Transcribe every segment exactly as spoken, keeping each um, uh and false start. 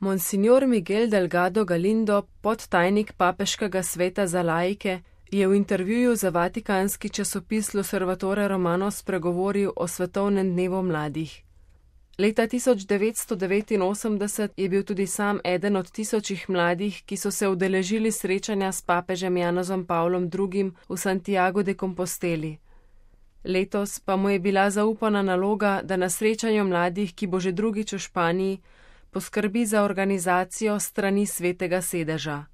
Monsignor Miguel Delgado Galindo, podtajnik papeškega sveta za laike, je v intervjuju za vatikanski časopis L'Osservatore Romano spregovoril o svetovnem dnevu mladih. Leta tisoč devetsto devetinosemdeset je bil tudi sam eden od tisočih mladih, ki so se udeležili srečanja s papežem Janezom Pavlom drugim v Santiago de Composteli. Letos pa mu je bila zaupana naloga, da na srečanju mladih, ki bo že drugič v Španiji, poskrbi za organizacijo strani Svetega sedeža.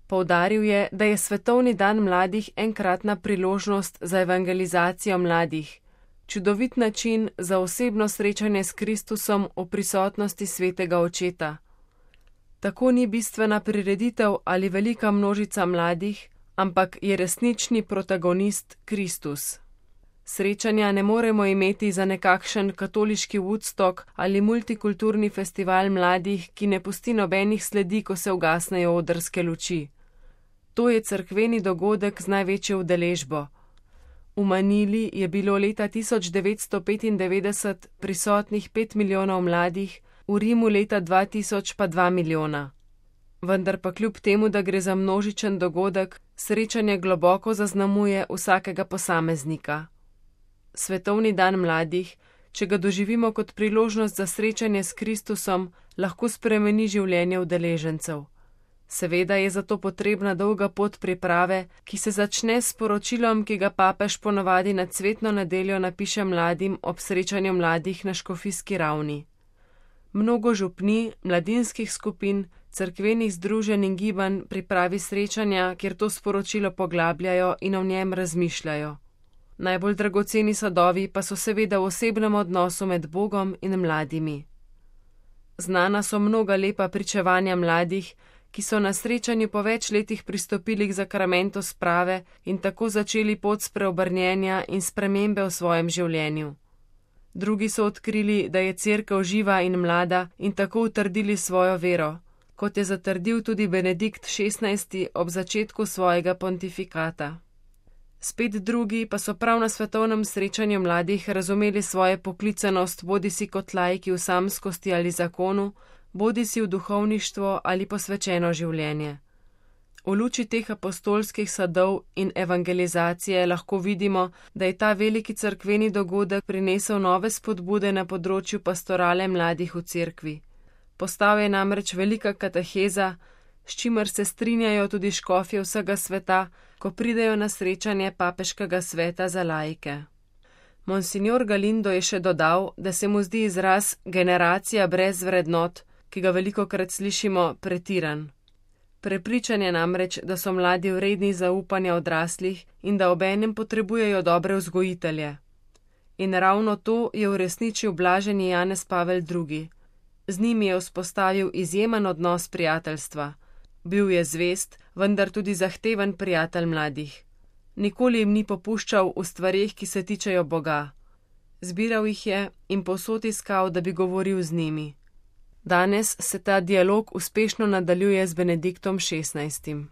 Poudaril je, da je Svetovni dan mladih enkratna priložnost za evangelizacijo mladih, čudovit način za osebno srečanje s Kristusom v prisotnosti Svetega Očeta. Tako ni bistvena prireditev ali velika množica mladih, ampak je resnični protagonist Kristus. Srečanja ne moremo imeti za nekakšen katoliški Woodstock ali multikulturni festival mladih, ki ne pusti nobenih sledi, ko se ugasnejo odrske luči. To je cerkveni dogodek z največjo udeležbo. V Manili je bilo leta tisoč devetsto petindevetdeset prisotnih pet milijonov mladih, v Rimu leta dva tisoč pa dva milijona. Vendar pa kljub temu, da gre za množičen dogodek, srečanje globoko zaznamuje vsakega posameznika. Svetovni dan mladih, če ga doživimo kot priložnost za srečanje s Kristusom, lahko spremeni življenje udeležencev. Seveda je zato potrebna dolga pot priprave, ki se začne s poročilom, ki ga papež ponavadi na cvetno nedeljo napiše mladim ob srečanju mladih na škofijski ravni. Mnogo župni, mladinskih skupin, cerkvenih združenj in gibanj pripravi srečanja, kjer to sporočilo poglabljajo in o njem razmišljajo. Najbolj dragoceni sadovi pa so seveda v osebnem odnosu med Bogom in mladimi. Znana so mnoga lepa pričevanja mladih, ki so na srečanju po več letih pristopili k zakramentu sprave in tako začeli pot spreobrnjenja in spremembe v svojem življenju. Drugi so odkrili, da je cerkev živa in mlada in tako utrdili svojo vero, kot je zatrdil tudi Benedikt šestnajsti ob začetku svojega pontifikata. Spet drugi pa so prav na svetovnem srečanju mladih razumeli svojo poklicanost bodisi kot laiki v samskosti ali zakonu, bodisi v duhovništvo ali posvečeno življenje. V luči teh apostolskih sadov in evangelizacije lahko vidimo, da je ta veliki cerkveni dogodek prinesel nove spodbude na področju pastorale mladih v cerkvi. Postal je namreč velika kateheza, s čimer se strinjajo tudi škofje vsega sveta, ko pridejo na srečanje papeškega sveta za laike. Monsignor Galindo je še dodal, da se mu zdi izraz generacija brez vrednot, ki ga velikokrat slišimo, pretiran. Prepričan je namreč, da so mladi vredni zaupanja odraslih in da obenem potrebujejo dobre vzgojitelje. In ravno to je uresničil blaženi Janez Pavel drugi. Z njimi je vzpostavil izjemen odnos prijateljstva. Bil je zvest, vendar tudi zahteven prijatelj mladih. Nikoli jim ni popuščal v stvareh, ki se tičejo Boga. Zbiral jih je in povsod iskal, da bi govoril z njimi. Danes se ta dialog uspešno nadaljuje z Benediktom šestnajstim.